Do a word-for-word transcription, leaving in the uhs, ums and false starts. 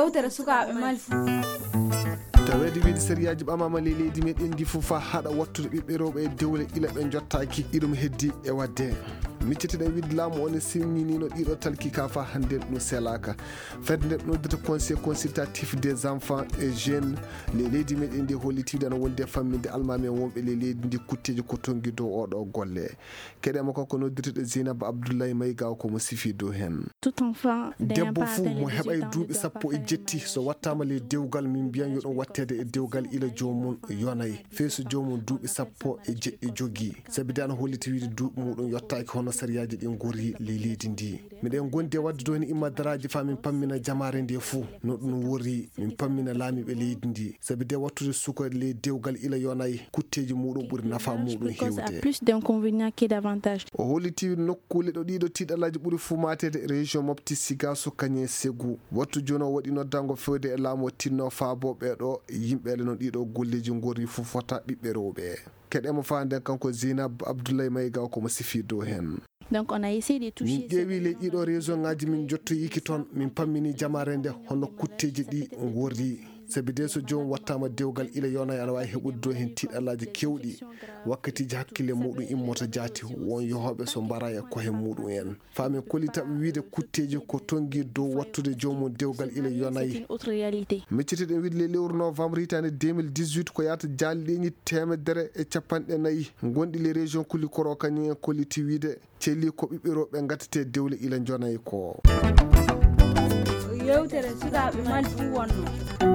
Yewtere sukaaɓe Mali fuu. Taweede wiide sariyaaji ɓamaama ley leydi meɗen ndi fof faa haɗa wattude ɓiɓɓe rewɓe e dewle ila ɓe njottaaki, iɗum heddi e waɗde. Micciteɗen wiide laamu o ne senniniino ɗiɗo talki ka faa hannde ɗum selaaka. Fedde nde noddata Conseil consultatif des enfants et jeunes ley leydi meɗen ndi holliti wiide ana wondi e famminde almaami en wonɓe ley leydi ndi kutteeji ko tonngi dow oɗo golle. Keɗe makko ko noddirteɗo Zeynab Abdoulaye Mayga ko mo sifi dow heen. Tout enfant d'un Debbo fuu mo heɓay duuɓi sappo e jetti, so wattaama ley dewgal, min mbiyan yo ɗum watteede e dewgal ila joomum yonay, fey so joomum duuɓi sappo e jeɗɗi jogii. Sabi de ana holliti wiide duuɓi muɗum yottaaki hono sariyaaji ɗi ngori ley leydi ndi. Miɗen ngondi e waɗde ɗo heen immadaraaji faa min pammina jamaare nde fuu no ɗum wori, min pammina laamiiɓe leydi ndi. Sabi de wattude suka ley dewgal ila yonay, kutteeji muɗum ɓuri nafa muɗum heewde. Plus d'inconvénients que d'avantages. O holliti nokkuule ɗo ɗiɗo tiiɗalaaji ɓuri fuu maateede, région Mopti, Sigaso, Kanye, Ségou. Wattu jooni o waɗi noddango fewde e laamu o tinno faabo ɓee ɗo yimɓe ele no ɗiɗo golleeji ngorri fuu fota ɓiɓɓe rewɓe. Keɗe mo faa nden kanko Zeynab Abdoulaye Mayga ko mo sifi dow heen. Donc on a essayé de toucher. Min ƴeewi ley ɗiɗo région ŋaaji, min njottoyiiki toon, min pammini jamaare nde hono kutteeji ɗi ngorri. Sabi de so joom wattaama dewgal ila yonay ana waawi heɓude dow heen tiiɗalaaji keewɗi. Wakkatiiji hakkille muɗum immota jaati, won yohooɓe so mbara e kohe muɗum en. Faa min kollita ɓe wiide kutteeji ko tonngi dow wattude joomum dewgal ila yonay. C'est une autre réalité. Micciteɗen wiide ley lewru novembre hitaande deux mille dix-huit ko yahata jaaliɗeeñi teemedere e capanɗe nayi ngonɗi ley région Kulikoro kañum en kolliti wiide celli ko ɓiɓɓe rewɓe ngattetee dewle ila njonay ko. Yewtere sukaaɓe Mali fuu wonno.